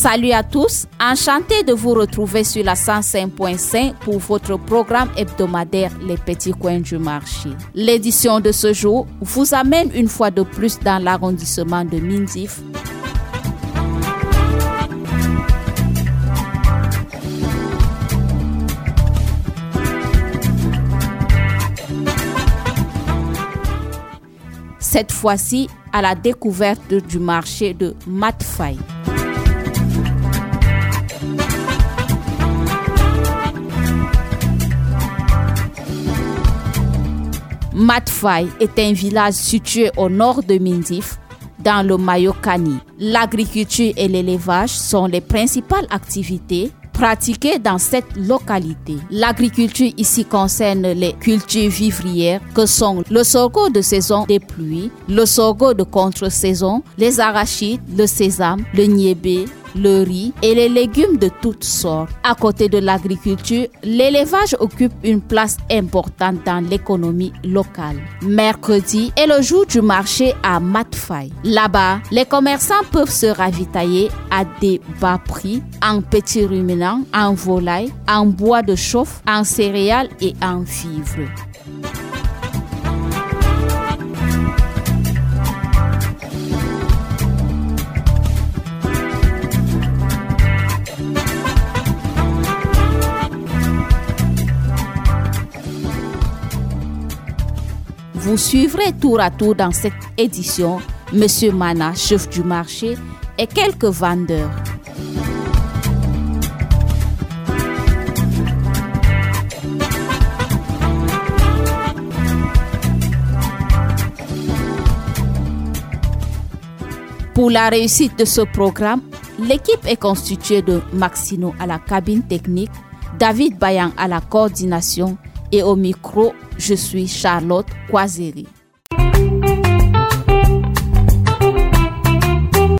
Salut à tous, enchanté de vous retrouver sur la 105.5 pour votre programme hebdomadaire Les Petits Coins du Marché. L'édition de ce jour vous amène une fois de plus dans l'arrondissement de Mindif. Cette fois-ci à la découverte du marché de Matfaï. Matfaï est un village situé au nord de Mindif, dans le Mayokani. L'agriculture et l'élevage sont les principales activités pratiquées dans cette localité. L'agriculture ici concerne les cultures vivrières que sont le sorgho de saison des pluies, le sorgho de contre-saison, les arachides, le sésame, le niébé, le riz et les légumes de toutes sortes. À côté de l'agriculture, l'élevage occupe une place importante dans l'économie locale. Mercredi est le jour du marché à Matfaï. Là-bas, les commerçants peuvent se ravitailler à des bas prix en petits ruminants, en volailles, en bois de chauffe, en céréales et en vivres. Vous suivrez tour à tour dans cette édition Monsieur Mana, chef du marché, et quelques vendeurs. Pour la réussite de ce programme, l'équipe est constituée de Maxino à la cabine technique, David Bayan à la coordination et au micro, je suis Charlotte Kwazeri.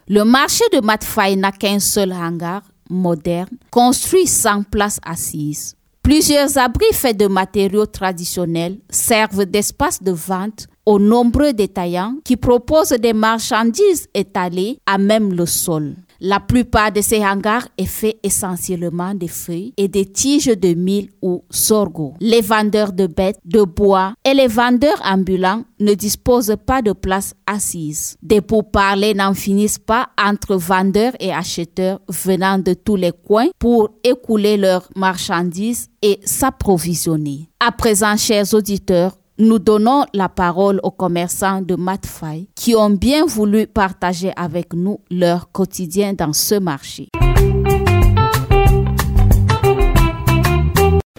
Le marché de Matfaï n'a qu'un seul hangar moderne, construit sans place assise. Plusieurs abris faits de matériaux traditionnels servent d'espace de vente aux nombreux détaillants qui proposent des marchandises étalées à même le sol. La plupart de ces hangars est fait essentiellement de feuilles et des tiges de mil ou sorgho. Les vendeurs de bêtes, de bois et les vendeurs ambulants ne disposent pas de place assise. Des pourparlers n'en finissent pas entre vendeurs et acheteurs venant de tous les coins pour écouler leurs marchandises et s'approvisionner. À présent, chers auditeurs, nous donnons la parole aux commerçants de Matfaï qui ont bien voulu partager avec nous leur quotidien dans ce marché.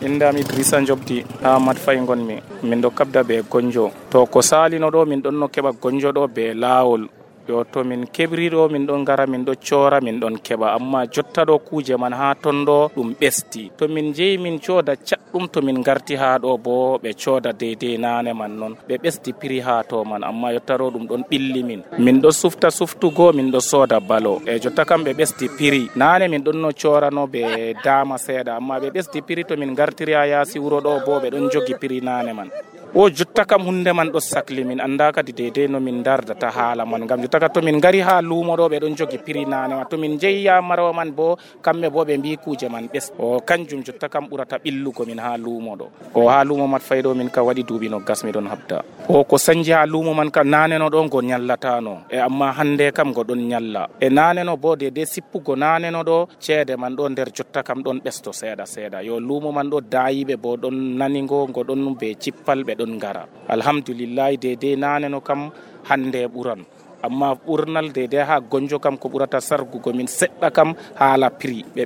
Indami Idrissa Jobdi a Matfaï ngonmi min do kabda be gonjo to ko salino do min don no keba gonjo do be laawol yo to min kebrido min don gara min do chora min don keba amma jotta do kuje man ha tondo dum besti to min jeyi min choda chaddum to min garti ha do bo be choda dede nane man non be besti piri ha to man amma yotta do dum don billi min do suftugo min do soda balo e jotta kam be besti piri nane min don no chora no be dama seda amma be besti piri to min gartiri ha yasi wuro do bo be don jogi piri nane man o jotta kam hunde man do sakli min anda kadi dede no min dardata hala man gam jotta to min gari ha lumo do be don jogi piri nane to min jeya maro man bo kambe bo be mbi kuje man bes o kanjum jotta kam burata billugo min ha lumo do o ha lumo Matfaï do min ka wadi dubi no gas mi don habda o ko sanji ha lumo man ka nane no do go nyallata no e amma hande kam go don nyalla e nane no bo de sippugo nane no do cede man do der jotta kam don besto seda yo lumo man do dayibe bo don naningo go don be cippal be don gara alhamdulillah de nane no kam hande buran amma burnal de ha gonjo kam ko burata sargugo min sedda kam hala prix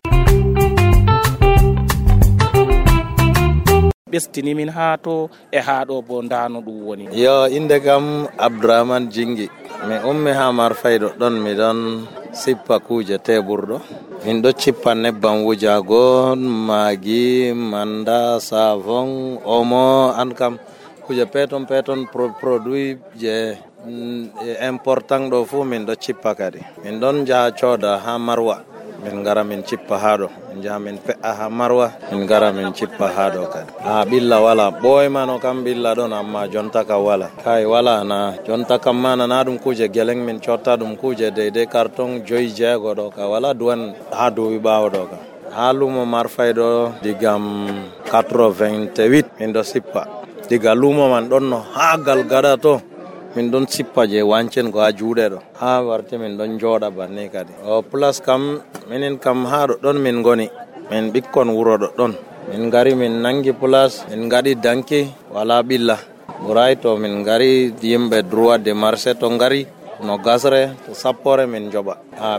bestini min ha to e ha do bo ndano dum woni yo inde kam Abdourahmane Jingi mi ummi ha Matfaï do don mi don sippa kuje teburdo min do cippa nebbam wujago magi manda savon omo an kam kuje peton produit je important do fu min do cippa kadi min don jaha coda ha Marwa min ngara min cippa haɗo min jaha min pe'a ha marwa min ngara min cippa haɗo kadi ɓilla wala ɓoymano kam ɓilla ɗon amma jonta kam wala kai wala na jonta kam mana na ɗum kuje geleng min cotta ɗum kuje deydey carton 5-6 ɗo ka wala duwan ha duuɓi ɓawo ɗo ka ha lumo Marfay ɗo digam 88 min ɗo sippa diga lumo man ɗon no ha Galgada to min ɗon sippa je wancen ko ha juuɗe ɗo ha warti min ɗon jooɗa banni kadi o plus kam minin kam ha ɗon min goni min ɓikkon wuro ɗon min ngari min nangi plus min ngaɗi danki wala ɓilla ɓuray to min ngari yimɓe droit de marché to ngari no gasre to sappore min joɓa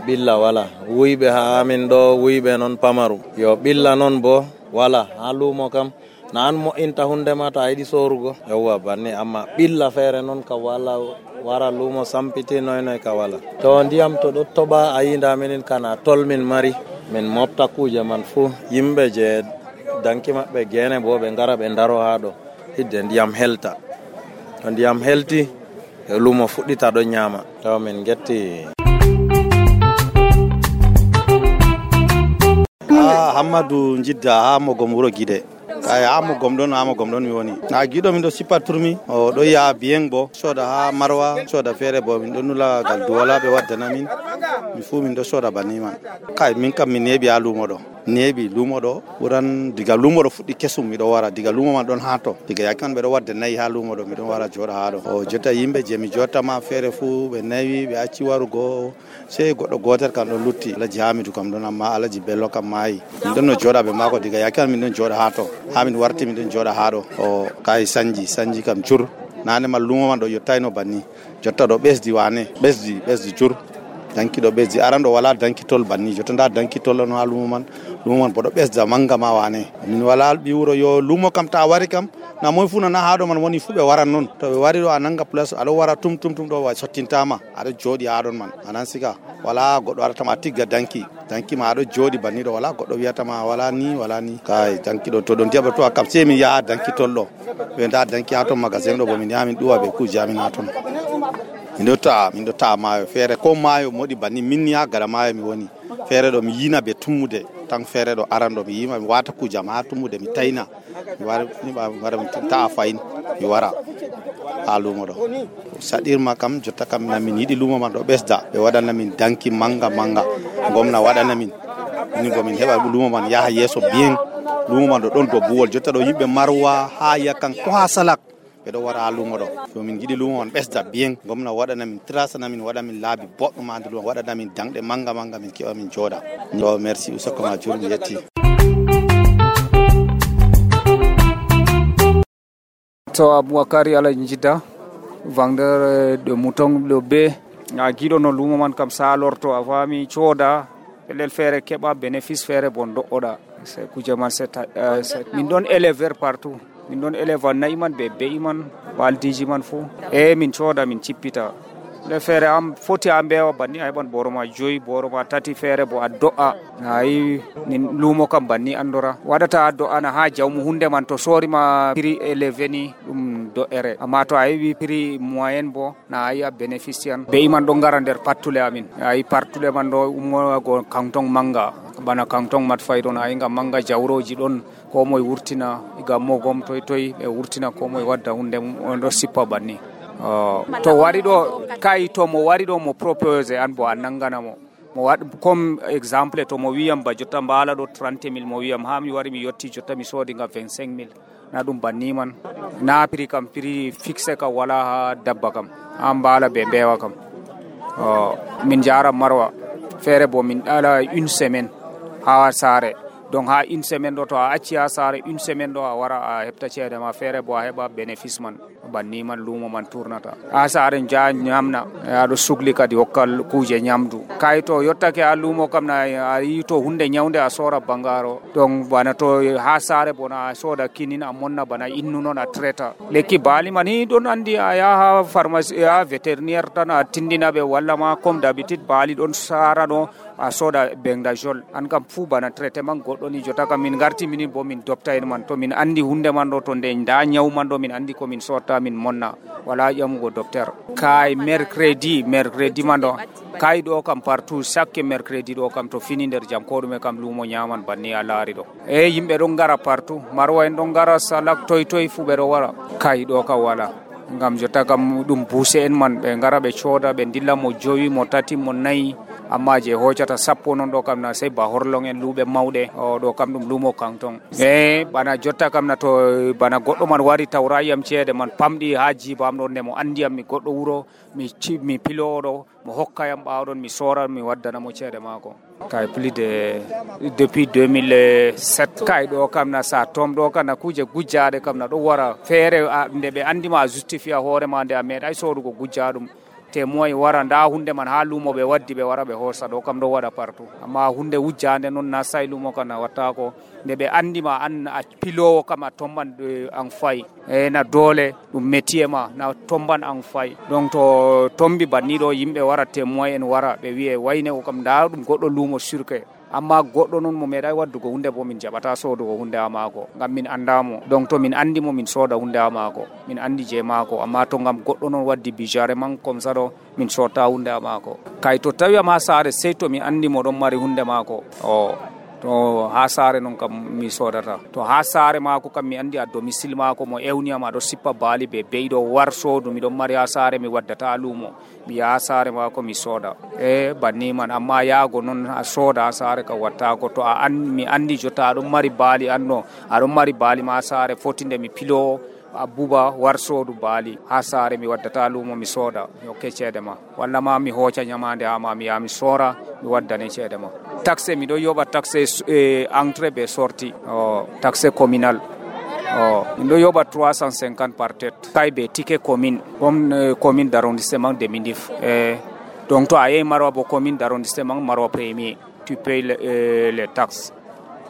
ɓilla wala wuyɓe ha amin ɗo wuyɓe noon pamaru yo ɓilla noon bo wala ha lumo kam na an mo'inta hunde ma to a yiɗi sorugo yawwa banni amma ɓilla feere noon ka wala wara lumo sampiti noy ka wala to ndiyam to ɗo toɓa a yinda minin kana tol min mari min mofta kuje man fuu yimɓe je danki maɓɓe gene bo ɓe ngara ɓe ndaro ha ɗo hidde ndiyam helta to ndiyam helti e lumo fuɗɗita ɗo ñaama to min getti Hammadou Jidda ha Mogom wuro Guide kay ha Mogom ɗon mi woni na giɗo min ɗo sippa turmi o ɗo yaha biyen bo soda ha Marwa soda feere bo min ɗo nula gal duwala ɓe waddana min fu min ɗo soda banni man kay min kam mi neeɓi ha lumo ɗo lumo ɗo ɓuran diga lumo ɗo fuɗɗi kesum miɗo wara diga lumo man ɗon ha to diga yakkan ɓeɗo wadda nayi ha lumo ɗo miɗon wara joɗa ha ɗo o jotta yimɓe je mi jottama feere fu ɓe nayi ɓe acci warugo sey goɗɗo gotel kam ɗon lutti Alaji Hamidou kam ɗon amma Alaji Bello kam maayi min ɗon no joɗa ɓe mako diga yakkan min ɗon joɗa ha to ha min warti min ɗon joɗa ha ɗo o kay sanji kam jur nane ma lumo man ɗo yottayno banni jotta ɗo ɓesdi wane ɓesdi jur danki ɗo ɓesdi aran ɗo wala dankitol banni jotta nda dankitol on ha lumo man bo ɗo ɓesda manga ma wane min wala ɓi wuro yo lumo kam ta wari kam na moy fu nana ha ɗo man woni fu ɓe waran noon to ɓe wari ɗo a nanga place aɗo wara tum ɗo wa sottintama aɗo jooɗi ha ɗon man anan siga wala goɗɗo waratama tigga danki ma aɗo jooɗi banni ɗo wala goɗɗo wiyatama wala ni kay danki ɗo to ɗon tiyaɓa to a kam sei min yaha dankitol ɗo ɓe nda danki ha ton magasin ɗo bo min yaha min ɗuwa ɓe kuje amin ha ton min ɗo ta'a maayo feere ko maayo moɗi banni minni ha gala maayo mi woni feere ɗo mi yina ɓe tummude tan feere ɗo aran ɗo mi yima mi wata kujam ha tummude mi tayna mi wara mi ta'a fayin mi wara ha lumo ɗo saɗirma kam jotta kam namin yiɗi lumo man ɗo ɓesda ɓe waɗana min danki manga gomna waɗana min ni bo min heɓa lumo man yaha yeeso bien lumo man ɗo ɗon do buwol jotta ɗo yimɓe Marwa ha yakkan ko ha Salak ɓeɗo wara ha lumo ɗo so min jiɗi lumo man ɓesda bien gomna waɗana min trasana min waɗa min laabi boɗɗum ha nder lumo waɗana min danɗe manga min keɓa min jooɗa to merci usoko ma jur mi yetti to Aboubakary Alaji Jidda vendeur de mouton ɗo be a giɗo no lumo man kam salorto a fami cooda pelel feere keɓa bénéfice feere bon do'oɗa c'est kuje man min ɗon éleveur partout min ɗon élève nayi man be be'i man waldiji man fo min cooda min cippita le feere am foti a mbewa banni a heɓan boro ma 5 boro ma 3 feere bo a do'a ayi nin lumo kam banni andora waɗata a do'ana ha jawmu hunde man to sorima prix élevé ni ɗum do'ere amma to a yeɓi prix moyen bo na ayi a bénéfician be'i man ɗo ngara nder pattule amin ayi pattule man ɗo ummogo canton manga bana canton Matfay ɗon ayi ngam manga jawroji ɗon ko moye wurtina igam Mogom toy ɓe wurtina ko moye wadda hunde on ɗo sippa banni to wari ɗo kay to mo wari ɗo mo propose an bo a nangana mo waɗ comme exemple to mo wiyam ba jotta mbala ɗo 30 000 mo wiyam ha mi wari mi yetti jotta mi soodi ngam 25 000 na ɗum banni man na prix kam prix fixe kam wala ha dabba kam ha mbala be mbewa kam min jara Marwa feere bo min ɗala 1 semaine ha saare donc ha 1 semaine ɗo to a acci ha saare 1 semaine ɗo a wara a heɓta ceede ma feere bo a heɓa bénéfice man banni man lumo man tournata ha saare ja ñamna aɗo sugli kadi hokka kuje ñamdu kay to yottake ha lumo kam na a yi to hunde ñawde a sora bangaro donc bana to ha saare bona a soda kinin a monna bana innu noon a traita lekki baali man ni ɗon andi a yaha pharmacie a vétérinaire tan a tindina ɓe walla ma comme d'habitude baali ɗon sara ɗo a soda bengdajol an kam fu bana traitement goddo ni jota kam min garti min bo min dopta en man to min andi hunde man do to nde nda nyaw man do min andi ko min sorta min monna wala jamugo docteur kay mercredi man do kay do kam partout chaque mercredi do kam to fini der jam ko dum kam lumo nyaman banni a laari do e yimbe don gara partout marwa en don gara salak toy fu be do wara kay do ka wala ngam jota kam dum buse en man be ngara be choda be dilla mo jowi mo tati mo nayi amma je hojata sappo non do kam na sey ba horlong en lube mawde o do kam dum lumo kanton bana jotta kam na to bana goddo man wari tawrayam ceede man pamdi haji bam don ne mo andiyam mi goddo wuro mi pilodo mo hokkayam baawdon mi sora mi waddana mo ceede mako kay plus de depuis 2007 kay do kam na sa tom do kana kuje gujjaade kam na do wara feere nde be andima justifia hoore ma nde a meeday sodugo gujjaadum te moy wara nda hunde man ha lumo be waddi be wara be hosa do kam do wada partout amma hunde wujjande non na say lumo kana watta ko nde be andima an a pilowo kam a tomban an fay na dole dum métier ma na tomban an fay donc to tombi banni do yimbe wara te moy en wara be wi'e wayne ko kam nda dum goddo lumo surke amma goddo non mo meeday waddugo hunde bo min jabata sodugo hunde amako ngam min andamo donc to min andimo min soda hunde amako min andi je mako amma to ngam goddo non waddi bijare man comme ça do min sota hunde amako kay to tawi ma sare sey to mi andimo don mari hunde mako to ha sare non kam mi sodata to ha sare mako kam mi andi a domicile mako mo ewniyama do sippa baali be beydo war sodu mi don mari ha sare mi waddata lumo mi ya sare mako mi soda banni man amma yaago non a soda sare ka watta ko to mi andi jota don mari baali anno a don mari baali ma sare fotinde mi pilo abuba war sodu baali ha sare mi waddata lumo mi soda yo ceede ma walla ma mi hoca nyamande ama mi ya mi sora mi waddane ceede ma taxe mi do yoba taxe entrée be sortie taxe communal min do yoba 350 par tête kay be ticket commune comme commune d'arrondissement de Mindif donc to ay marwa bo commune d'arrondissement marwa premier tu payes les taxes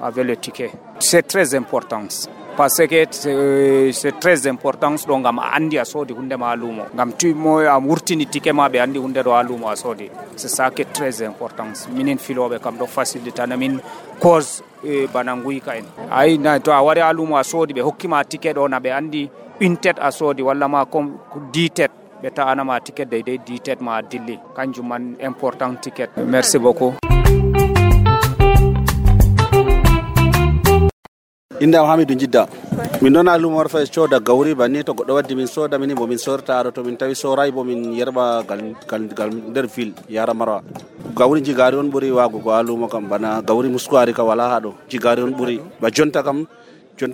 avec le ticket c'est très important parce que c'est très important donc ngam andi asodi hunde ma lumo ngam timo am wurtini ticket ma be andi hunde do lumo asodi c'est ça qui est très important minen filobe kam do faciliter na min cause banangui ka en ay na to awari lumo asodi be hokkima ticket do na be andi une tête asodi walla ma comme 10 têtes be ta anama ticket de 10 têtes ma dilli kanjum man important ticket merci beaucoup inda Hamidou Jidda min dona lumo warfa coda gawri banni to goddo waddi min soda min bo min sorta to min tawi soray bo min yerba gal der ville yara mara gawri jigari on buri wago ko lumo kam bana gawri muskwari ka wala hado jigari on buri ba jonta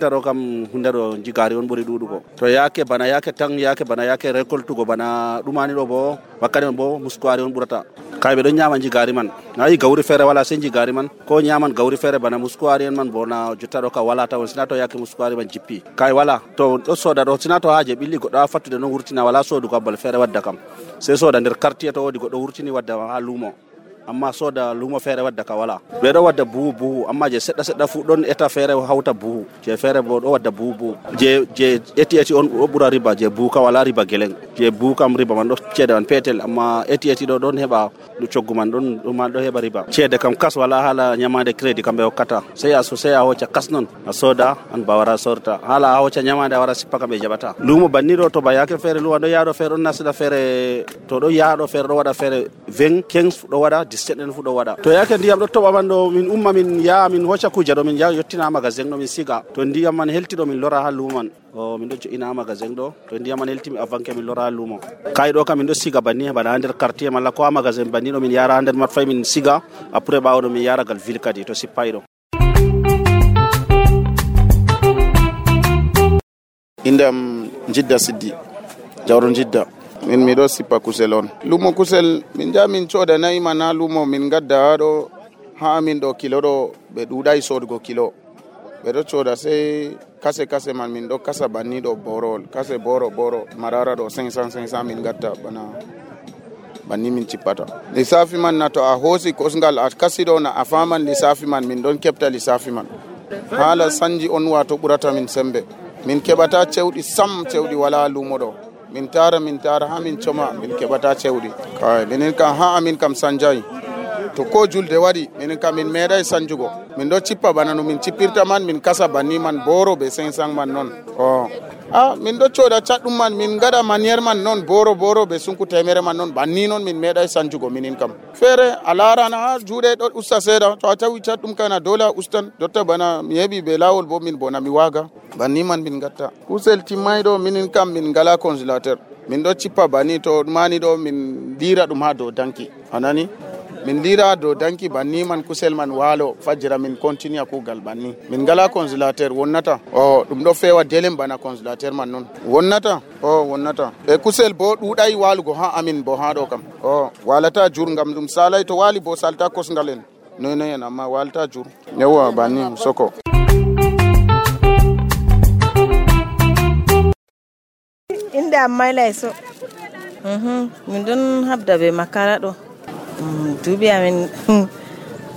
do kam hundaro jigari on buri dudu ko to yake bana yake récolte go bana dumani do bo wakane bo muskwari on burata kaybe do nyama jigari man nayi gawri fere wala sen jigari man ko nyaman gawri fere bana muskwari man bona jottado ka wala taw sinato yake muskwari man jippi kay wala to do soda do sinato haaje billi goddo fattude no wurtina wala sodu ko bal fere wadda kam se soda der quartier to wodi goddo wurtini wadda ha lumo amma soda lumo fere wadda ka wala be do wadda buhu amma je sedda fu don eta fere hawta buhu je fere bo do wadda buhu je eti on bura riba je buhu ka wala riba geleng je buhu kam riba man do cede on petel amma eti do don heba du coggu man don man do heba riba cede kam kas wala hala nyamade credit kambe hokkata sey a hoca kas non a soda an bawara sorta hala a hoca nyamade wara sippa kambe jabata lumo banni do to ba yake fere luwa do yaado fere on nasida fere to do yaado fere do wada fere 20 15 do wada 17 fu do wada to yake ndiyam do toba man do min umma min ya min hoca kuja do min ya yottina magasin do min siga to ndiyam man helti do min lora ha luman min do ina magasin do to ndiyam man helti mi avanke min lora ha lumo kay do kam min do siga banni bana nder quartier mala ko magasin banni do min yara nder mat fay min siga après baawo do min yara gal ville kadi to sipay do indam Jidda Siddi jawron Jidda min mido sipa kuselon lumo kusel min jamin coda nayi mana lumo min gadda do ha min do kilo do be dudai sodgo kilo be do coda sai kase man min do kasa banni do borol kase boro marara do 500 min gadda bana banni min cipata lisafi man na to a hosi kosngal a kasido na afaman lisafi man min don kepta lisafi man hala sanji on wato burata min sembe min kebata cewdi wala lumo do min tara ha min choma min kebata cewdi kay minen ka ha amin kam sanjay to ko julde waɗi minen kam min meeɗay sanjugo min ɗo cippa bana no min cippirta man min kasa banni man boro be 500 man non min ɗo coda caɗɗum man min gaɗa manière man non boro be sunku temere man non banni non min meeɗay sanjugo minin kam feere a larana ha juuɗe ɗo usta seeɗa to a tawi caɗɗum kana dole a ustan jotta bana mi heɓi be lawol bo min bona mi waga banni man min gatta kusel timmayɗo minin kam min ngala congélateur min ɗo cippa banni to mani ɗo min lira ɗum ha dow danki anani min lira dow danki banni man kusel man walo fajjira min continue kugal banni min ngala congélateur wonnata ɗum ɗo fewa delem bana congélateur man non wonnata e kusel bo ɗuɗay walugo ha amin bo ha ɗo kam walata jur ngam ɗum salay to wali bo salta kosngal en noy amma walta jur yawa banni soko inde amma layso min don habda be makara ɗo duuɓi amin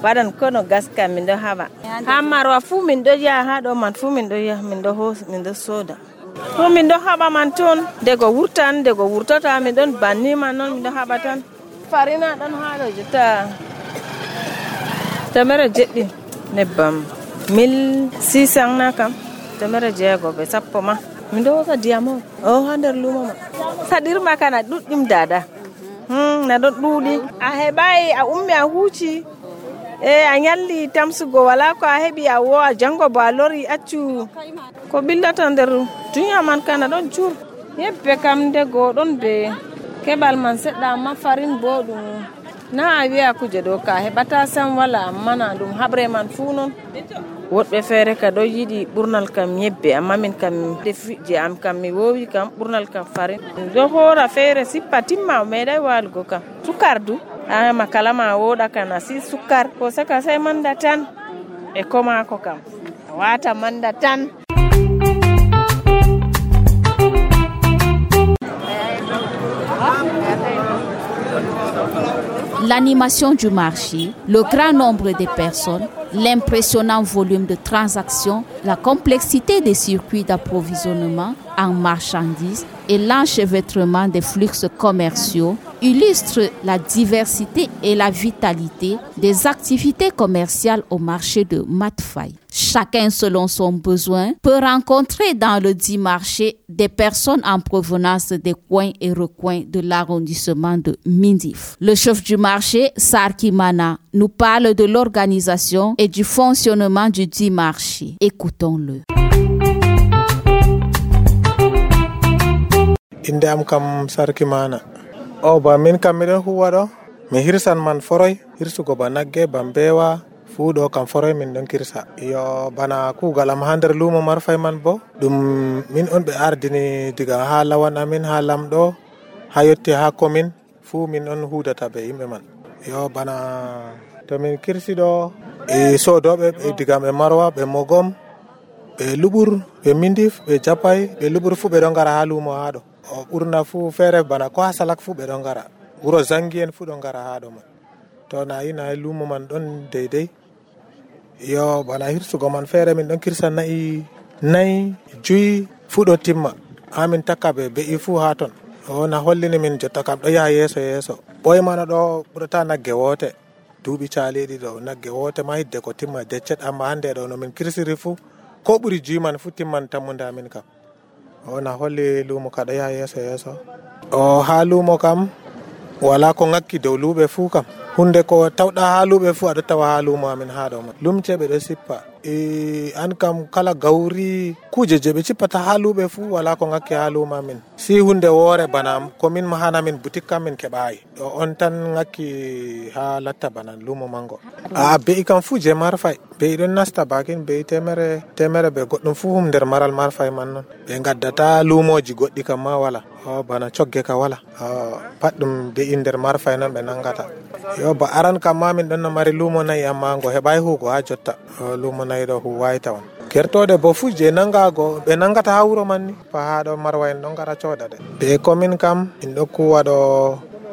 waɗan kono gaska min ɗo haɓa ha marwa fuu min ɗo yaha ha ɗo man fuu min ɗo yaha min ɗo soda fuu min ɗo haɓa man toon dego wurtata min ɗon banni man noon min ɗo haɓa tan farina ɗon ha ɗo jotta 700 nebbam 1600 na kam 600 be sappo ma min ɗo hosa ndiyam ha nder lumo ma saɗirma kana ɗuɗɗum dada na ɗon ɗuuɗi a heɓai a ummi a huuci a nyalli tamsugo wala ko a heɓi a wo a jango bo a lori accu ko billata nder duniya man kana ɗon jur yebbe kam dego ɗon be keɓal man seɗɗa amma farin bo ɗum na a wiya kuje ɗo ka heɓata sam wala amma na ɗum haɓre man fuu non woɗɓe feere ka ɗo yiɗi ɓurnal kam yebbe amma min kam je am kam mi wowi kam ɓurnal kam farin ɗo hoora feere sippa timma meeɗay walugo kam sukar du makala ma woɗa kana si sukar ko saka sai manda tan e komako kam wata manda tan. L'animation du marché, le grand nombre de personnes, l'impressionnant volume de transactions, la complexité des circuits d'approvisionnement en marchandises et l'enchevêtrement des flux commerciaux illustrent la diversité et la vitalité des activités commerciales au marché de Matfaï. Chacun selon son besoin peut rencontrer dans le dit marché des personnes en provenance des coins et recoins de l'arrondissement de Mindif. Le chef du marché, Sarki Mana, nous parle de l'organisation et du fonctionnement du dit marché. Écoutons-le. Inde am kam Sarki Mana. Ba min kam miɗon huwa ɗo mi hirsan man foroy hirsugo ba nagge ba mbewa fuu ɗo kam foroy min ɗon kirsa yo bana kugal am ha nder lumo Marfay man bo ɗum min on ɓe ardini diga ha lawan amin ha lamɗo ha yetti ha commune fuu min on hudata be yimɓe man yo bana to min kirsi ɗo e sodoɓe ɓe diga ɓe Marwa ɓe Mogom ɓe Luɓur ɓe Mindif ɓe Japay ɓe Luɓur fuu ɓe ɗon gara ha lumo ha ɗo ɓurna fuu feere bana ko ha Salak fuu ɓe ɗon gara wuro Zangi en fuu ɗon gara ha ɗo man to na yina lumo man ɗon deydey yo bana hirsugo man feere min ɗon kirsa nayi juyi fuu ɗo timma ha min takka ɓe be'i fuu ha ton na hollini min jotta kam ɗo yaha yeeso ɓoye mana ɗo ɓurata nagge woote duuɓi caaliɗi ɗo nagge woote ma hidde ko timma deccet amma hande ɗo no min kirsiri fuu ko ɓuri juyi man fuu timman tammude amin kam na holli lumo ka ɗo yaha yeeso ha lumo kam wala ko ngakki dow luuɓe fuu kam hunde ko tawɗa ha luuɓe fuu aɗo tawa ha lumo amin ha ɗo man lumce ɓe ɗo sippa an kam kala gawri kuje je ɓe cippata ha luuɓe fuu wala ko ngakki ha lumo amin si hunde woore bana komin mahana min boutique kam min keɓayi on tan ngakki ha latta bana lumo mango be'i kam fuu je Marfay be'i ɗon nasta bakin be'i temere be goɗɗum fuu nder maral Marfay man non ɓe gaddata lumoji goɗɗi kam ma wala bana cogge ka wala pat ɗum be'i nder Marfay non ɓe nangata yo ba aran kam ma min ɗon no mari lumo nayi amma ngo heɓai hugo ha jotta lumo nayi ɗo huwayi tawan kertode bo fuu je nangago ɓe nangata ha wuro man ni fa ha ɗo Marwa en ɗon gara cooda de ɓe commune kam min ɗo kuwa ɗo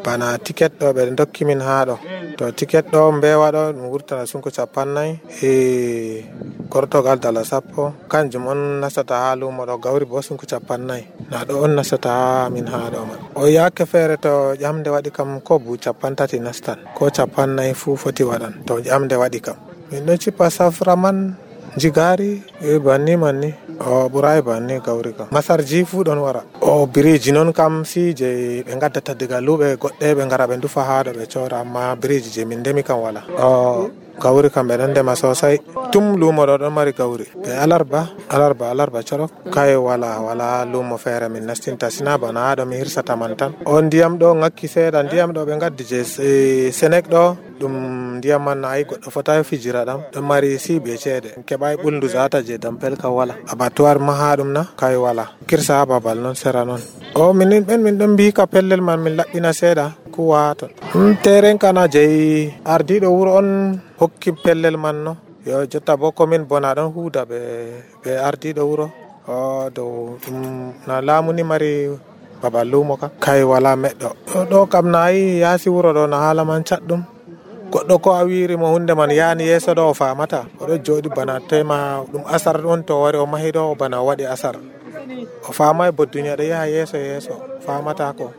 bana ticket ɗo ɓe dokki min ha ɗo to ticket ɗo mbewa ɗo ɗum wurtana sunko 40 e gortogal dala 10 kanjum on nastata ha lumo ɗo. Gawri bo sunko 40 na ɗo on nastata ha min ha ɗo man. O yake feere to ƴamde waɗi kam ko bu 30 nastan ko 40 fu foti waɗan to ƴamde waɗi kam. Min ɗon cippa safra man jigari e banni manni o ɓuray banni gawri kam. Masarji fu ɗon wara. O biriji non kam si je ɓe gaddata diga luɓe goɗɗe ɓe ngara ɓe ndufa ha ɗo ɓe cora, amma biriji je min ndemi kam wala. O gawri kam ɓe ɗon ndema sosai. Tum lumo ɗo ɗon mari gawri. Ɓe alarba corok kay wala lumo feere min nastinta sina bana ha ɗo mi hirsata man tan. O ndiyam ɗo ngakki seeɗa, ndiyam ɗo ɓe gaddi je Senek ɗo ɗum ndiyam man ayi goɗɗo fotayi fijira ɗam ɗon mari siɓe ceede keɓai ɓulndu zata je dampel kam wala. Abattoir ma ha ɗum na kay wala kirsa ha babal non sera non. O min ɗon mbika pellel man min laɓɓina seeɗa kuwa ton. Teren kana jeyi ardiɗo wuro on hokki pellel man no. Yo jotta bo komin bona ɗon huuda ɓe ardiɗo wuro o dow ɗum na laamuni mari babal lumo ka kay wala meɗɗo ɗo kam nayi yaasi wuro ɗo na haala man catɗum. Goɗɗo ko a wiri mo hunde man yani yeso ɗo o famata oɗo joɗi bana tema ɗum asar ɗon to wari o mahi ɗo o bana waɗi asar o famai bo duniya ɗo yaha yeso famata ko.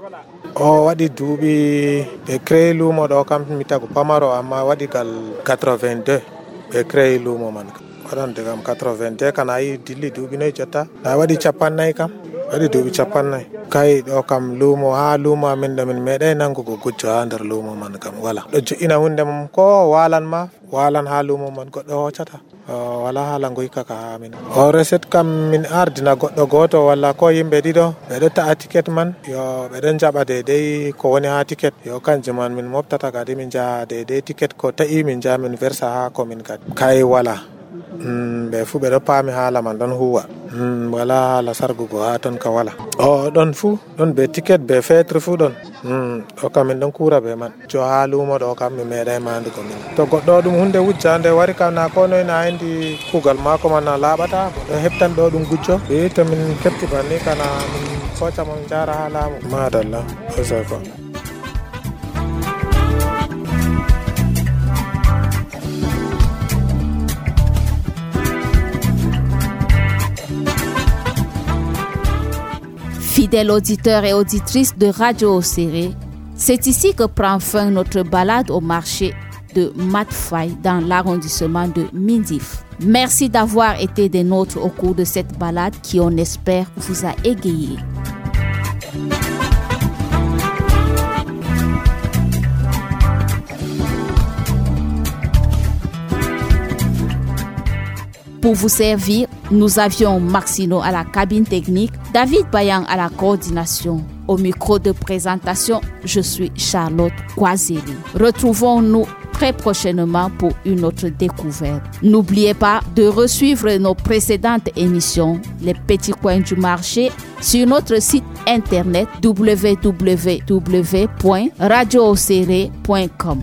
O waɗi duuɓi ɓe créé lumo ɗo kam mi tagu pamaro amma waɗi gal 82 ɓe créé lumo man waɗan digam 82 kana yi dilli duuɓi noyi jotta na waɗi 40 kam waɗi duuɓi 40 kay ɗo kam lumo ha lumo amin ɗo min meeɗay nangugo gujjo ha nder lumo man kam wala. Ɗo jo'ina hunde mum ko walan ha lumo man goɗɗo hoccata wala hala ngoyka ka ha min. O reset kam min ardina goɗɗo goto walla ko yimɓe ɗiɗo ɓeɗo ta'a ticket man yo ɓeɗon jaɓa deidei ko woni ha ticket yo kanjum man min moftata kadi min jaha deidei ticket ko ta'i min jaha min versa ha komin kadi kay wala. Ɓe fu ɓeɗo paami haala man ɗon huwa wala haala sargugo ha ton ka wala. O ɗon fu ɗon be ticket be fetre fu ɗon ɗo kam min ɗon kura be man jo ha lumo ɗo kam mi meeɗay mandugo min. To goɗɗo ɗum hunde wujjande wari kam na ko noy na andi kugal mako man na laɓata goɗɗo heftan ɗo ɗum gujjo ɓe to min kepti banni kana min koca mon jara ha laamu madalla oseko. Fidèles auditeurs et auditrices de Radio Oséré, c'est ici que prend fin notre balade au marché de Matfaï dans l'arrondissement de Mindif. Merci d'avoir été des nôtres au cours de cette balade qui, on espère, vous a égayé. Pour vous servir, nous avions Maxino à la cabine technique, David Bayang à la coordination. Au micro de présentation, je suis Charlotte Kwazeli. Retrouvons-nous très prochainement pour une autre découverte. N'oubliez pas de resuivre nos précédentes émissions, Les Petits Coins du Marché, sur notre site internet www.radiooséré.com.